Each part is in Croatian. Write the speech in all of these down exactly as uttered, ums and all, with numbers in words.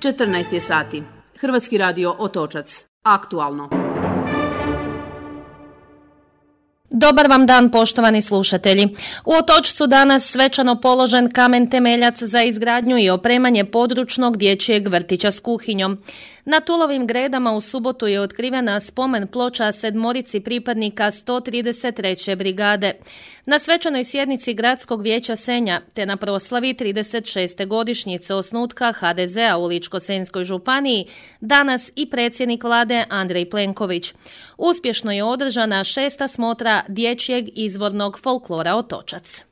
četrnaest je sati. Hrvatski radio Otočac. Aktualno. Dobar vam dan, poštovani slušatelji. U Otočcu danas svečano položen kamen temeljac za izgradnju i opremanje područnog dječjeg vrtića s kuhinjom. Na Tulovim Gredama u subotu je otkrivena spomen ploča sedmorici pripadnika sto trideset treće brigade. Na svečanoj sjednici Gradskog vijeća Senja te na proslavi trideset šeste godišnjice osnutka ha de zea u Ličko-senjskoj županiji danas i predsjednik vlade Andrej Plenković. Uspješno je održana šesta smotra dječjeg izvornog folklora Otočac.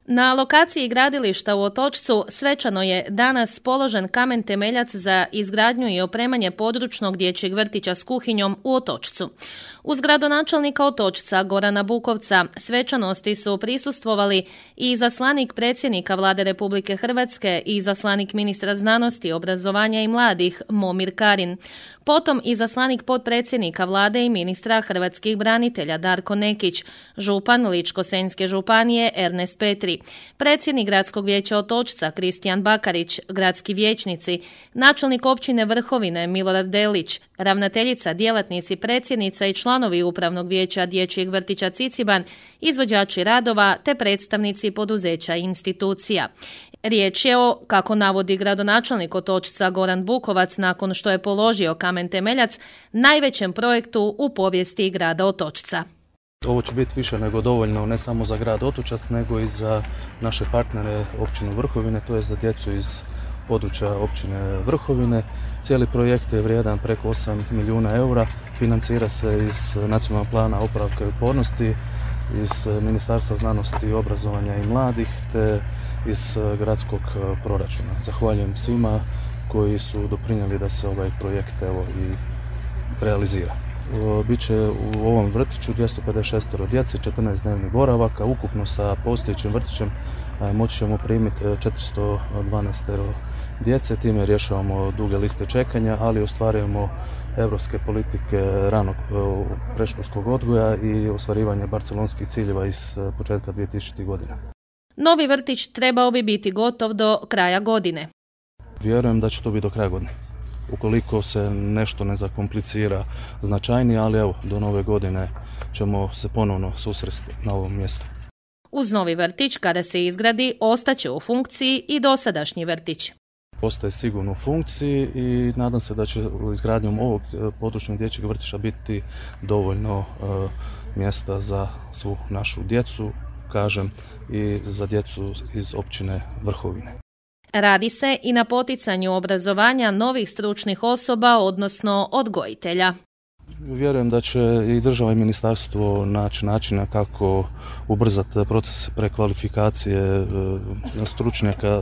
Na lokaciji gradilišta u Otočcu svečano je danas položen kamen temeljac za izgradnju i opremanje područnog dječjeg vrtića s kuhinjom u Otočcu. Uz gradonačelnika Otočca Gorana Bukovca svečanosti su prisustvovali i izaslanik predsjednika vlade Republike Hrvatske i izaslanik ministra znanosti, obrazovanja i mladih Momir Karin. Potom izaslanik potpredsjednika vlade i ministra hrvatskih branitelja Darko Nekić, župan Ličko-senjske županije Ernest Petri, predsjednik Gradskog vijeća Otočca Kristijan Bakarić, gradski vijećnici, načelnik općine Vrhovine Milorad Delić, ravnateljica, djelatnici, predsjednica i članovi upravnog vijeća dječjeg vrtića Ciciban, izvođači radova te predstavnici poduzeća i institucija. Riječ je o, kako navodi gradonačelnik Otočca Goran Bukovac nakon što je položio kamen temeljac, najvećem projektu u povijesti grada Otočca. Ovo će biti više nego dovoljno ne samo za grad Otočac, nego i za naše partnere općinu Vrhovine, to je za djecu iz područja općine Vrhovine. Cijeli projekt je vrijedan preko osam milijuna eura, financira se iz nacionalnog plana oporavka i otpornosti, iz Ministarstva znanosti, obrazovanja i mladih, te iz gradskog proračuna. Zahvaljujem svima koji su doprinijeli da se ovaj projekt evo i realizira. Biće u ovom vrtiću dvjesto pedeset šest djece, četrnaest dnevnih boravaka, ukupno sa postojećim vrtićem moći ćemo primiti četiristo dvanaest djece, time rješavamo duge liste čekanja, ali ostvarujemo europske politike ranog predškolskog odgoja i ostvarivanje barcelonskih ciljeva iz početka dvije tisućite. godine. Novi vrtić trebao bi biti gotov do kraja godine. Vjerujem da će to biti do kraja godine. Ukoliko se nešto ne zakomplicira značajnije, ali evo, do nove godine ćemo se ponovno susresti na ovom mjestu. Uz novi vrtić, kada se izgradi, ostaće u funkciji i dosadašnji vrtić. Ostaje sigurno u funkciji i nadam se da će izgradnjom ovog područnog dječjeg vrtića biti dovoljno uh, mjesta za svu našu djecu, kažem, i za djecu iz općine Vrhovine. Radi se i na poticanju obrazovanja novih stručnih osoba, odnosno odgojitelja. Vjerujem da će i država i ministarstvo naći načina kako ubrzati proces prekvalifikacije stručnjaka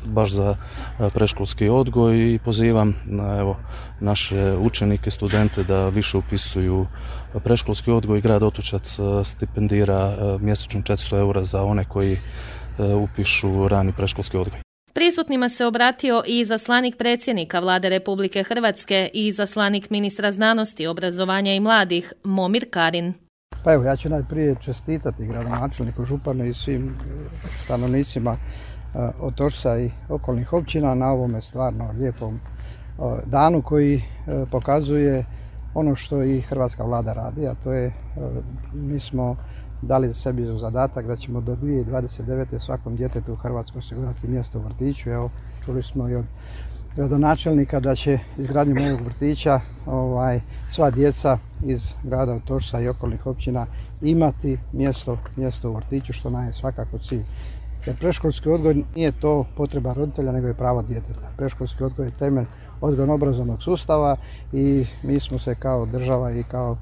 baš za predškolski odgoj i pozivam na, evo, naše učenike, studente da više upisuju predškolski odgoj. Grad Otočac stipendira mjesečno četiristo eura za one koji upišu rani predškolski odgoj. Prisutnima se obratio i izaslanik predsjednika vlade Republike Hrvatske i izaslanik ministra znanosti, obrazovanja i mladih Momir Karin. Pa evo, ja ću najprije čestitati gradonačelniku, županu i svim stanovnicima Otočca i okolnih općina na ovome stvarno lijepom danu koji pokazuje ono što i hrvatska vlada radi, a to je, mi smo dali za sebi u zadatak da ćemo do dvije tisuće dvadeset devete. svakom djetetu u Hrvatskoj osigurati mjesto u vrtiću. Evo, čuli smo i od gradonačelnika da će izgradnjom ovog vrtića ovaj, sva djeca iz grada Otočca i okolnih općina imati mjesto, mjesto u vrtiću, što nam je svakako cilj. Jer predškolski odgoj nije to potreba roditelja, nego je pravo djeteta. Predškolski odgoj je temelj odgojno-obrazovnog sustava i mi smo se kao država i kao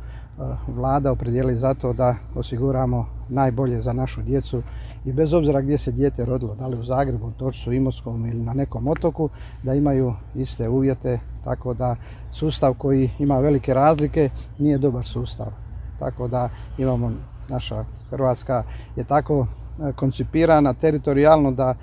vlada opredijelili za to da osiguramo najbolje za našu djecu i bez obzira gdje se dijete rodilo, da li u Zagrebu, Otočcu, Imotskom ili na nekom otoku, da imaju iste uvjete, tako da sustav koji ima velike razlike nije dobar sustav. Tako da imamo, naša Hrvatska je tako koncipirana teritorijalno da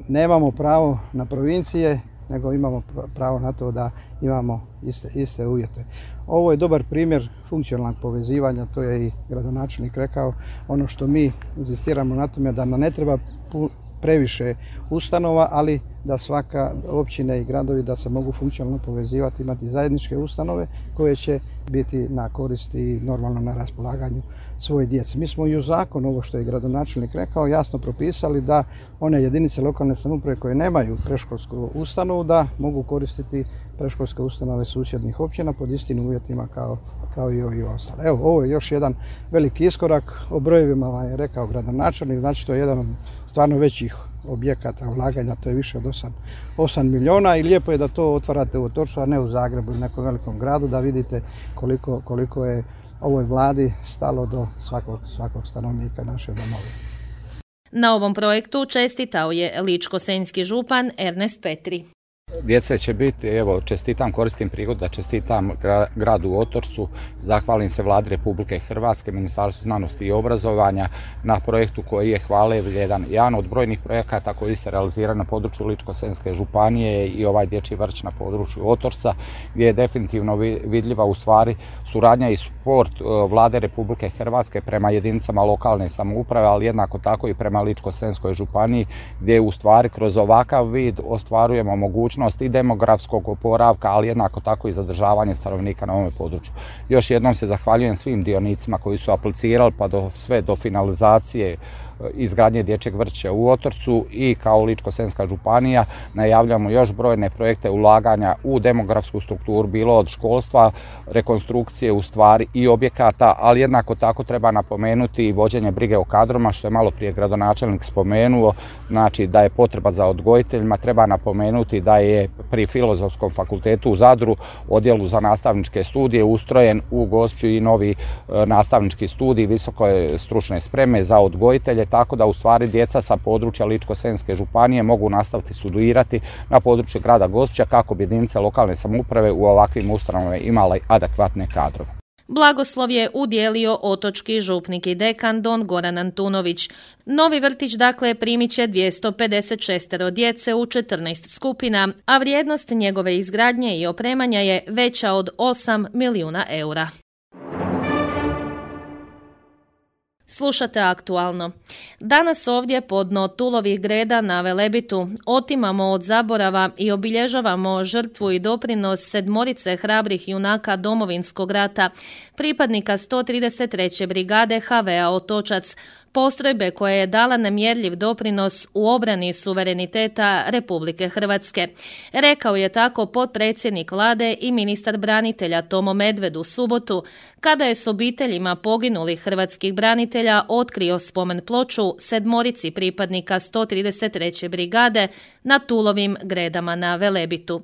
nemamo pravo na provincije, nego imamo pravo na to da imamo iste, iste uvjete. Ovo je dobar primjer funkcionalnog povezivanja, to je i gradonačelnik rekao. Ono što mi inzistiramo na tome da nam ne treba previše ustanova, ali da svaka općina i gradovi da se mogu funkcionalno povezivati, imati zajedničke ustanove koje će biti na koristi i normalno na raspolaganju svoje djece. Mi smo i u zakonu, ovo što je gradonačelnik rekao, jasno propisali da one jedinice lokalne samouprave koje nemaju predškolsku ustanovu da mogu koristiti predškolske ustanove susjednih općina pod istim uvjetima kao, kao i ovi ostali. Evo, ovo je još jedan veliki iskorak. O brojevima vam je rekao gradonačelnik, znači to je jedan od stvarno većih objekata ulaganja, to je više od osam milijuna i lijepo je da to otvarate u Otočcu, a ne u Zagrebu ili nekom velikom gradu, da vidite koliko, koliko je ovoj vladi stalo do svakog, svakog stanovnika naše domovine. Na ovom projektu čestitao je ličko-senjski župan Ernest Petri. Djece će biti, evo, čestitam, koristim prigodu da čestitam gradu Otočcu, zahvalim se Vladi Republike Hrvatske, Ministarstvu znanosti i obrazovanja na projektu koji je hvale vrijedan. Jedan od brojnih projekata koji se realizira na području Ličko-senjske županije i ovaj dječji vrtić na području Otočca, gdje je definitivno vidljiva u stvari suradnja i sport Vlade Republike Hrvatske prema jedinicama lokalne samouprave, ali jednako tako i prema Ličko-senjskoj županiji, gdje u stvari kroz ovakav vid ostvarujemo mogućnost i demografskog oporavka, ali jednako tako i zadržavanje stanovnika na ovom području. Još jednom se zahvaljujem svim dionicima koji su aplicirali pa do sve do finalizacije izgradnje dječjeg vrtića u Otočcu i kao Ličko-senjska županija najavljamo još brojne projekte ulaganja u demografsku strukturu, bilo od školstva, rekonstrukcije u stvari i objekata, ali jednako tako treba napomenuti i vođenje brige o kadrovima, što je malo prije gradonačelnik spomenuo, znači da je potreba za odgojiteljima. Treba napomenuti da je pri Filozofskom fakultetu u Zadru odjelu za nastavničke studije ustrojen u Gospiću i novi nastavnički studij visoke stručne spreme za odgojitelje, tako da u stvari djeca sa područja Ličko-senjske županije mogu nastaviti studirati na području grada Gospića kako bi jedinice lokalne samouprave u ovakvim ustanovama imale adekvatne kadrove. Blagoslov je udijelio otočki župnik i dekan don Goran Antunović. Novi vrtić dakle primit će dvjesto pedeset šest djece u četrnaest skupina, a vrijednost njegove izgradnje i opremanja je veća od osam milijuna eura. Slušate Aktualno. Danas ovdje pod dno Tulovih greda na Velebitu otimamo od zaborava i obilježavamo žrtvu i doprinos sedmorice hrabrih junaka Domovinskog rata, pripadnika sto trideset treće brigade ha ve a Otočac, postrojbe koja je dala nemjerljiv doprinos u obrani suvereniteta Republike Hrvatske. Rekao je tako potpredsjednik vlade i ministar branitelja Tomo Medved u subotu, kada je s obiteljima poginulih hrvatskih branitelja otkrio spomen ploču sedmorici pripadnika sto trideset treće brigade na Tulovim gredama na Velebitu.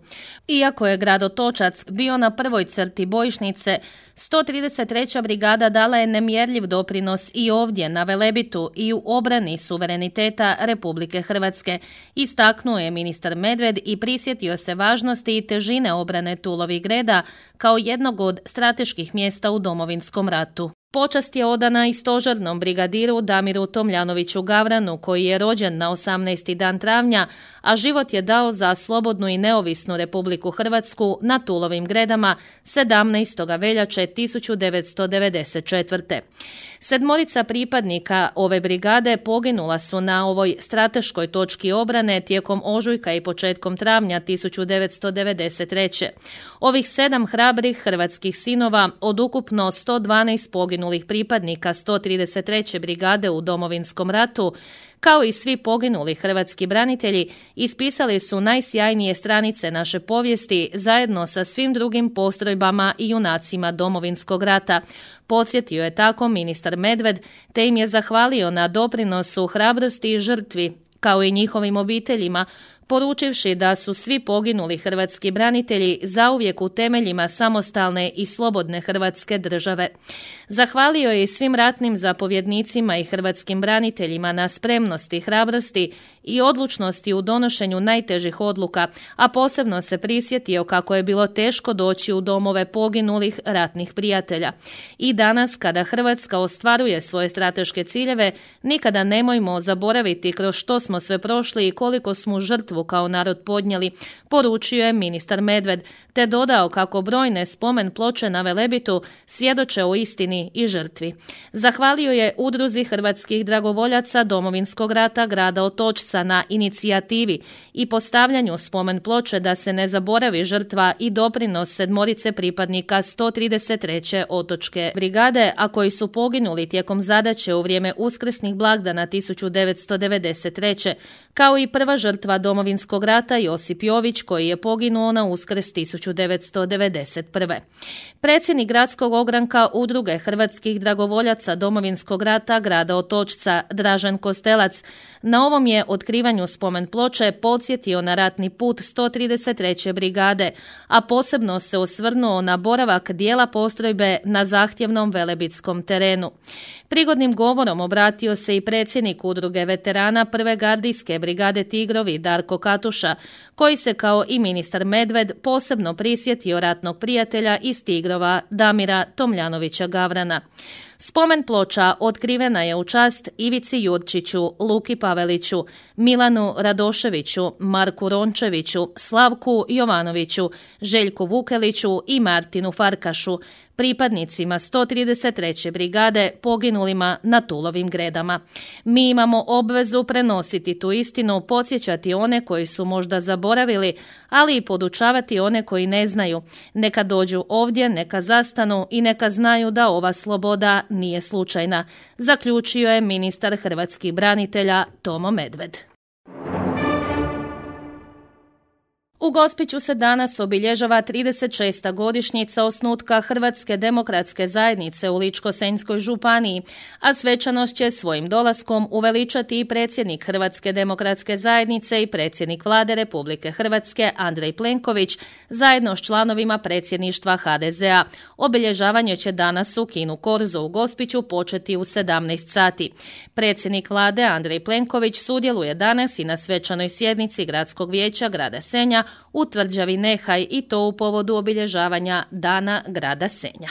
Iako je grad Otočac bio na prvoj crti bojišnice, sto trideset treća brigada dala je nemjerljiv doprinos i ovdje na Velebitu i u obrani suvereniteta Republike Hrvatske, istaknuo je ministar Medved i prisjetio se važnosti i težine obrane Tulovih greda kao jednog od strateških mjesta u Domovinskom ratu. Počast je odana i stožernom brigadiru Damiru Tomljanoviću Gavranu, koji je rođen na osamnaesti dan travnja, a život je dao za slobodnu i neovisnu Republiku Hrvatsku na Tulovim gredama sedamnaestog veljače tisuću devetsto devedeset četvrte. Sedmorica pripadnika ove brigade poginula su na ovoj strateškoj točki obrane tijekom ožujka i početkom travnja tisuću devetsto devedeset treće. Ovih sedam hrabrih hrvatskih sinova od ukupno sto dvanaest poginulih pripadnika sto trideset treće brigade u Domovinskom ratu, kao i svi poginuli hrvatski branitelji, ispisali su najsjajnije stranice naše povijesti zajedno sa svim drugim postrojbama i junacima Domovinskog rata. Podsjetio je tako ministar Medved, te im je zahvalio na doprinosu, hrabrosti i žrtvi, kao i njihovim obiteljima, poručivši da su svi poginuli hrvatski branitelji zauvijek u temeljima samostalne i slobodne Hrvatske države. Zahvalio je i svim ratnim zapovjednicima i hrvatskim braniteljima na spremnosti, hrabrosti i odlučnosti u donošenju najtežih odluka, a posebno se prisjetio kako je bilo teško doći u domove poginulih ratnih prijatelja. I danas, kada Hrvatska ostvaruje svoje strateške ciljeve, nikada nemojmo zaboraviti kroz što smo sve prošli i koliko smo žrtvu žrtvu kao narod podnijeli, poručio je ministar Medved, te dodao kako brojne spomen ploče na Velebitu svjedoče o istini i žrtvi. Zahvalio je Udruzi hrvatskih dragovoljaca Domovinskog rata grada Otočca na inicijativi i postavljanju spomen ploče da se ne zaboravi žrtva i doprinos sedmorice pripadnika sto trideset treće otočke brigade, a koji su poginuli tijekom zadaće u vrijeme uskrsnih blagdana tisuću devetsto devedeset treće kao i prva žrtva Domovinskog rata Josip Jović koji je poginuo na Uskrs tisuću devetsto devedeset prve. Predsjednik gradskog ogranka Udruge hrvatskih dragovoljaca Domovinskog rata grada Otočca Dražen Kostelac na ovom je otkrivanju spomen ploče podsjetio na ratni put sto trideset treće brigade, a posebno se osvrnuo na boravak dijela postrojbe na zahtjevnom velebitskom terenu. Prigodnim govorom obratio se i predsjednik Udruge veterana prve gardijske brigade Tigrovi Darko Katuša, koji se kao i ministar Medved posebno prisjetio ratnog prijatelja iz Tigrova Damira Tomljanovića Gavrana. Spomen ploča otkrivena je u čast Ivici Jurčiću, Luki Paveliću, Milanu Radoševiću, Marku Rončeviću, Slavku Jovanoviću, Željku Vukeliću i Martinu Farkašu, pripadnicima sto trideset treće brigade poginulima na Tulovim Gredama. Mi imamo obvezu prenositi tu istinu, podsjećati one koji su možda zaboravili, ali i podučavati one koji ne znaju. Neka dođu ovdje, neka zastanu i neka znaju da ova sloboda nije slučajna, zaključio je ministar hrvatskih branitelja Tomo Medved. U Gospiću se danas obilježava trideset šesta godišnjica osnutka Hrvatske demokratske zajednice u Ličko-senjskoj županiji, a svečanost će svojim dolaskom uveličati i predsjednik Hrvatske demokratske zajednice i predsjednik Vlade Republike Hrvatske Andrej Plenković zajedno s članovima predsjedništva ha de ze a. Obilježavanje će danas u kinu Korzo u Gospiću početi u sedamnaest sati. Predsjednik Vlade Andrej Plenković sudjeluje danas i na svečanoj sjednici Gradskog vijeća grada Senja u tvrđavi Nehaj i to u povodu obilježavanja Dana grada Senja.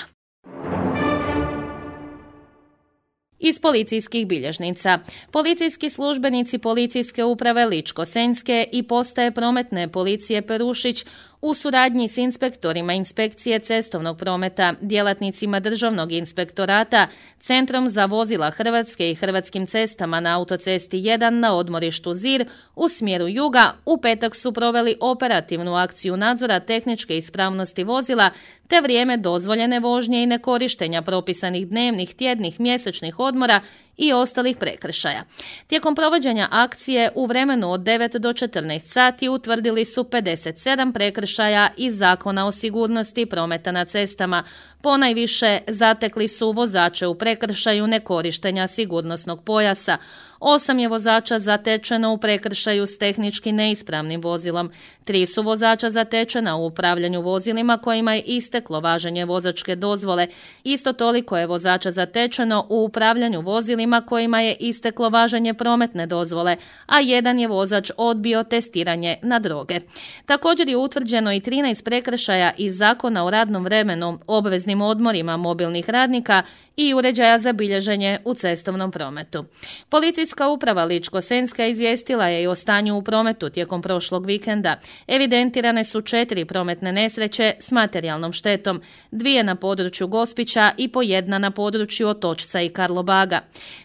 Iz policijskih bilježnica. Policijski službenici Policijske uprave Ličko-senjske i postaje prometne policije Perušić u suradnji s inspektorima inspekcije cestovnog prometa, djelatnicima Državnog inspektorata, Centrom za vozila Hrvatske i Hrvatskim cestama na autocesti jedan na odmorištu Zir u smjeru juga u petak su proveli operativnu akciju nadzora tehničke ispravnosti vozila te vrijeme dozvoljene vožnje i nekorištenja propisanih dnevnih, tjednih, mjesečnih odmora i ostalih prekršaja. Tijekom provođenja akcije u vremenu od devet do četrnaest sati utvrdili su pedeset sedam prekršaja iz Zakona o sigurnosti prometa na cestama. Ponajviše zatekli su vozače u prekršaju nekorištenja sigurnosnog pojasa. Osam je vozača zatečeno u prekršaju s tehnički neispravnim vozilom. Tri su vozača zatečena u upravljanju vozilima kojima je isteklo važenje vozačke dozvole. Isto toliko je vozača zatečeno u upravljanju vozilima kojima je isteklo važenje prometne dozvole, a jedan je vozač odbio testiranje na droge. Također je utvrđeno i trinaest prekršaja iz Zakona o radnom vremenu, obveznim odmorima mobilnih radnika i uređaja za bilježenje u cestovnom prometu. Policijska uprava Ličko-senjska izvijestila je i o stanju u prometu tijekom prošlog vikenda. Evidentirane su četiri prometne nesreće s materijalnom štetom, dvije na području Gospića i po jedna na području Otočca i Karlobaga.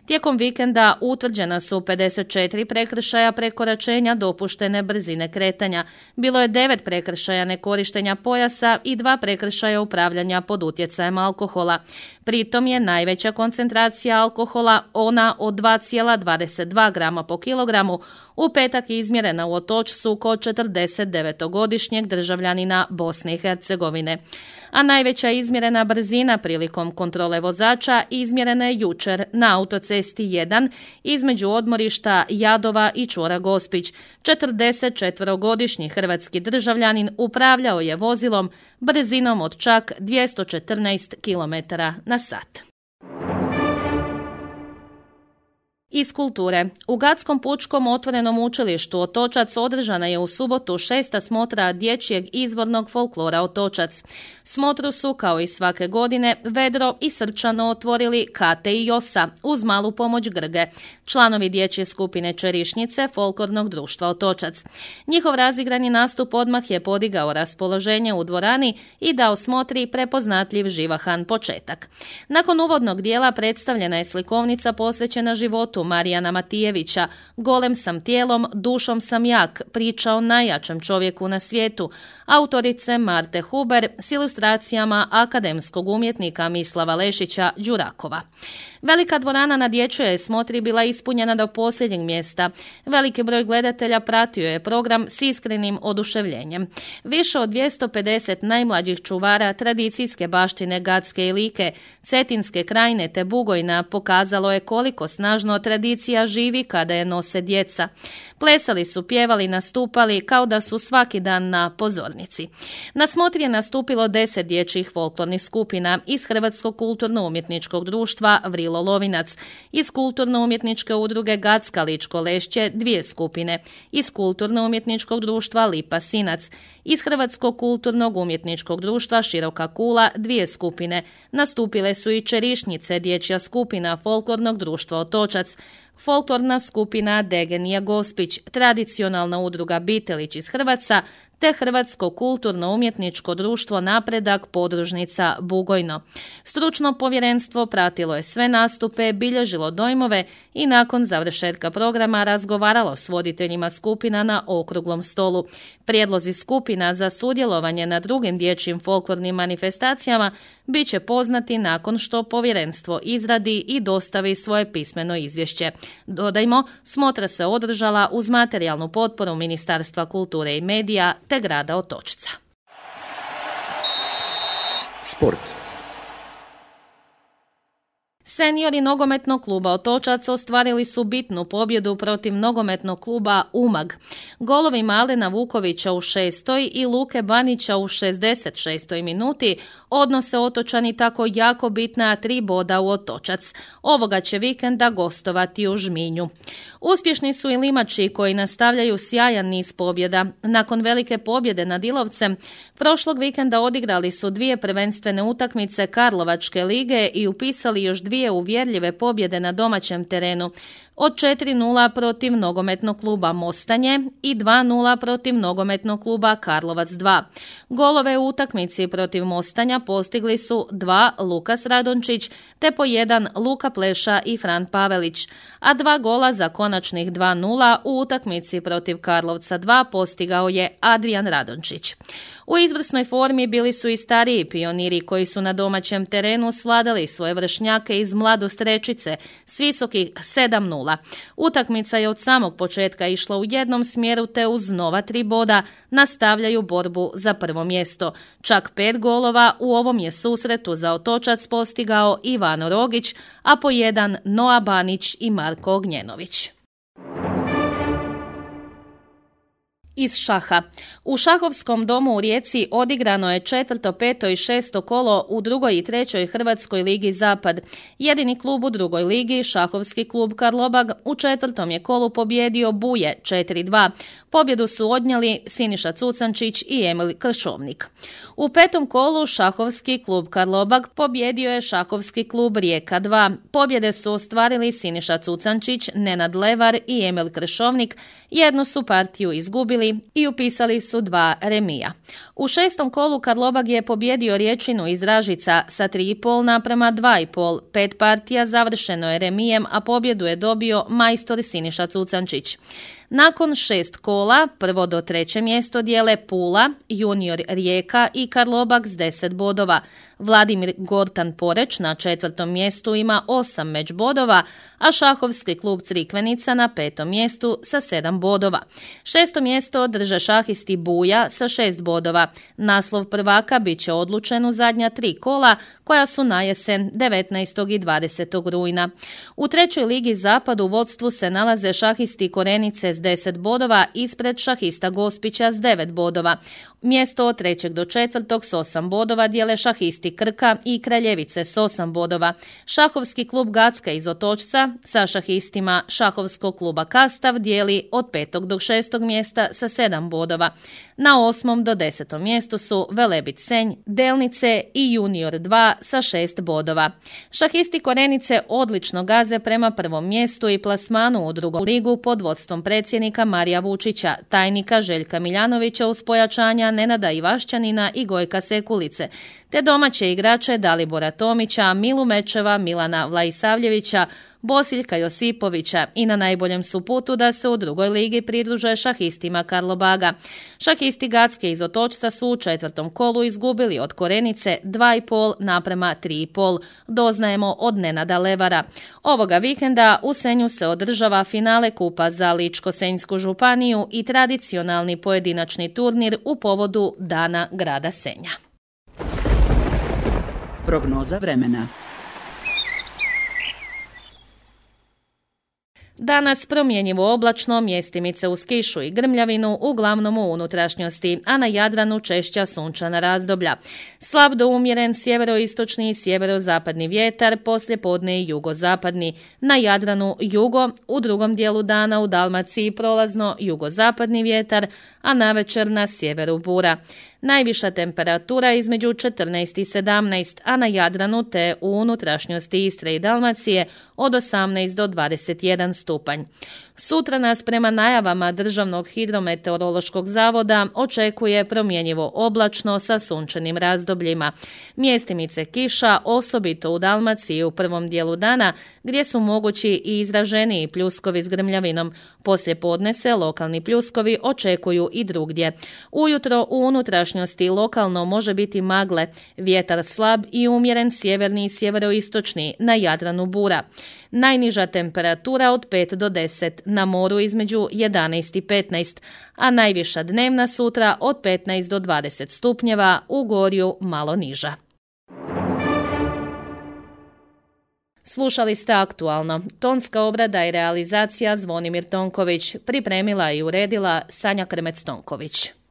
Tijekom vikenda utvrđena su pedeset četiri prekršaja prekoračenja dopuštene brzine kretanja. Bilo je devet prekršaja nekorištenja pojasa i dva prekršaja upravljanja pod utjecajem alkohola. Pritom je najveća koncentracija alkohola, ona od dva zarez dvadeset dva grama po kilogramu, u petak izmjerena u Otočcu kod četrdeset devetogodišnjeg državljanina Bosne i Hercegovine. A najveća izmjerena brzina prilikom kontrole vozača izmjerena je jučer na autocesti jedan između odmorišta Jadova i čvora Gospić. četrdesetčetverogodišnji hrvatski državljanin upravljao je vozilom brzinom od čak dvjesto četrnaest kilometara na sat. Iz kulture. U Gatskom pučkom otvorenom učilištu Otočac održana je u subotu šesta smotra dječjeg izvornog folklora Otočac. Smotru su, kao i svake godine, vedro i srčano otvorili Kate i Josa uz malu pomoć Grge, članovi dječje skupine Čerišnice folklornog društva Otočac. Njihov razigrani nastup odmah je podigao raspoloženje u dvorani i dao smotri prepoznatljiv živahan početak. Nakon uvodnog dijela predstavljena je slikovnica posvećena životu Marijana Matijevića, Golem sam tijelom, dušom sam jak, priča o najjačem čovjeku na svijetu, autorice Marte Huber s ilustracijama akademskog umjetnika Mislava Lešića Đurakova. Velika dvorana na dječjoj smotri bila ispunjena do posljednjeg mjesta. Veliki broj gledatelja pratio je program s iskrenim oduševljenjem. Više od dvjesto pedeset najmlađih čuvara tradicijske baštine Gatske i Like, Cetinske krajine te Bugojna pokazalo je koliko snažno tradicija živi kada je nose djeca. Plesali su, pjevali, nastupali kao da su svaki dan na pozornici. Na smotri je nastupilo deset dječjih folklornih skupina iz Hrvatskog kulturno-umjetničkog društva Vrilo Lovinac, iz kulturno-umjetničke udruge Gatska Ličko Lešće dvije skupine, iz kulturno-umjetničkog društva Lipa Sinac, iz Hrvatskog kulturnog umjetničkog društva Široka Kula dvije skupine. Nastupile su i Čerišnice, dječja skupina folklornog društva Otočac, folklorna skupina Degenija Gospić, tradicionalna udruga Bitelić iz Hrvatska, te Hrvatsko kulturno-umjetničko društvo Napredak podružnica Bugojno. Stručno povjerenstvo pratilo je sve nastupe, bilježilo dojmove i nakon završetka programa razgovaralo s voditeljima skupina na okruglom stolu. Prijedlozi skupina za sudjelovanje na drugim dječjim folklornim manifestacijama bit će poznati nakon što povjerenstvo izradi i dostavi svoje pismeno izvješće. Dodajmo, smotra se održala uz materijalnu potporu Ministarstva kulture i medija te grada Otočca. Sport. Seniori nogometnog kluba Otočac ostvarili su bitnu pobjedu protiv nogometnog kluba Umag. Golovi Malena Vukovića u šestoj i Luke Banića u šezdeset šestoj minuti odnose Otočani tako jako bitna tri boda u Otočac. Ovoga će vikenda gostovati u Žminju. Uspješni su i Limači koji nastavljaju sjajan niz pobjeda. Nakon velike pobjede nad Ilovcem, prošlog vikenda odigrali su dvije prvenstvene utakmice Karlovačke lige i upisali još dvije uvjerljive pobjede na domaćem terenu. Od četiri nula protiv nogometnog kluba Mostanje i dva nula protiv nogometnog kluba Karlovac dva. Golove u utakmici protiv Mostanja postigli su dva Lukas Radončić te po jedan Luka Pleša i Fran Pavelić, a dva gola za konačnih dva nula u utakmici protiv Karlovca dva postigao je Adrijan Radončić. U izvrsnoj formi bili su i stariji pioniri koji su na domaćem terenu sladali svoje vršnjake iz Mladost Rečice s visokih sedam nula. Utakmica je od samog početka išla u jednom smjeru te uz nova tri boda nastavljaju borbu za prvo mjesto. Čak pet golova u ovom je susretu za Otočac postigao Ivano Rogić, a po jedan Noa Banić i Marko Ognjenović. Iz šaha. U šahovskom domu u Rijeci odigrano je četvrto, peto i šesto kolo u drugoj i trećoj Hrvatskoj ligi Zapad. Jedini klub u drugoj ligi, šahovski klub Karlobag, u četvrtom je kolu pobjedio Buje četiri dva. Pobjedu su odnijeli Siniša Cucančić i Emil Kršovnik. U petom kolu šahovski klub Karlobag pobjedio je šahovski klub Rijeka dva. Pobjede su ostvarili Siniša Cucančić, Nenad Levar i Emil Kršovnik. Jednu su partiju izgubili i upisali su dva remija. U šestom kolu Karlobag je pobjedio Riječinu iz Ražica sa tri i pol naprema dva i pol. Pet partija završeno je remijem, a pobjedu je dobio majstor Siniša Cucančić. Nakon šest kola, prvo do treće mjesto dijele Pula, Junior Rijeka i Karlobag s deset bodova. Vladimir Gortan Poreć na četvrtom mjestu ima osam međ bodova, a šahovski klub Crikvenica na petom mjestu sa sedam bodova. Šesto mjesto drže šahisti Buja sa šest bodova. Naslov prvaka bit će odlučen u zadnja tri kola, koja su na jesen devetnaestog i dvadesetog rujna. U trećoj ligi Zapad u vodstvu se nalaze šahisti Korenice s deset bodova ispred šahista Gospića s devet bodova. Mjesto od trećeg do četvrtog s osam bodova dijele šahisti šahisti Krka i Kraljevice s osam bodova, šahovski klub Gacka iz Otočca sa šahistima šahovskog kluba Kastav dijeli od petog do šestog mjesta sa sedam bodova. Na osmom do desetom mjestu su Velebit Senj, Delnice i Junior dva sa šest bodova. Šahisti Korenice odlično gaze prema prvom mjestu i plasmanu u drugu ligu pod vodstvom predsjednika Marija Vučića, tajnika Željka Miljanovića uz pojačanja Nenada Ivašćanina i Gojka Sekulice, te domaće igrače Dalibora Tomića, Milu Mečeva, Milana Vlaisavljevića, Bosiljka Josipovića i na najboljem su putu da se u drugoj ligi pridruže šahistima Karlobaga. Šahisti Gacke iz Otočca su u četvrtom kolu izgubili od Korenice dva i pol naprema tri i pol, doznajemo od Nenada Levara. Ovoga vikenda u Senju se održava finale kupa za Ličko-senjsku županiju i tradicionalni pojedinačni turnir u povodu Dana grada Senja. Prognoza vremena. Danas promjenjivo oblačno, mjestimice uz kišu i grmljavinu, uglavnom u unutrašnjosti, a na Jadranu češća sunčana razdoblja. Slab do umjeren sjeveroistočni i sjeverozapadni vjetar, poslijepodne i jugozapadni. Na Jadranu jugo, u drugom dijelu dana u Dalmaciji prolazno jugozapadni vjetar, a navečer na sjeveru bura. Najviša temperatura između četrnaest i sedamnaest, a na Jadranu te u unutrašnjosti Istre i Dalmacije od osamnaest do dvadeset jedan stupanj. Sutra nas prema najavama Državnog hidrometeorološkog zavoda očekuje promjenjivo oblačno sa sunčanim razdobljima. Mjestimice kiša, osobito u Dalmaciji u prvom dijelu dana, gdje su mogući i izraženiji pljuskovi s grmljavinom. Poslije podne se lokalni pljuskovi očekuju i drugdje. Ujutro u unutrašnjosti lokalno može biti magle, vjetar slab i umjeren sjeverni i sjeveroistočni, na Jadranu bura. Najniža temperatura od pet do deset, na moru između jedanaest i petnaest, a najviša dnevna sutra od petnaest do dvadeset stupnjeva, u Gorju malo niža. Slušali ste Aktualno. Tonska obrada i realizacija Zvonimir Tonković. Pripremila i uredila Sanja Krmec-Tonković.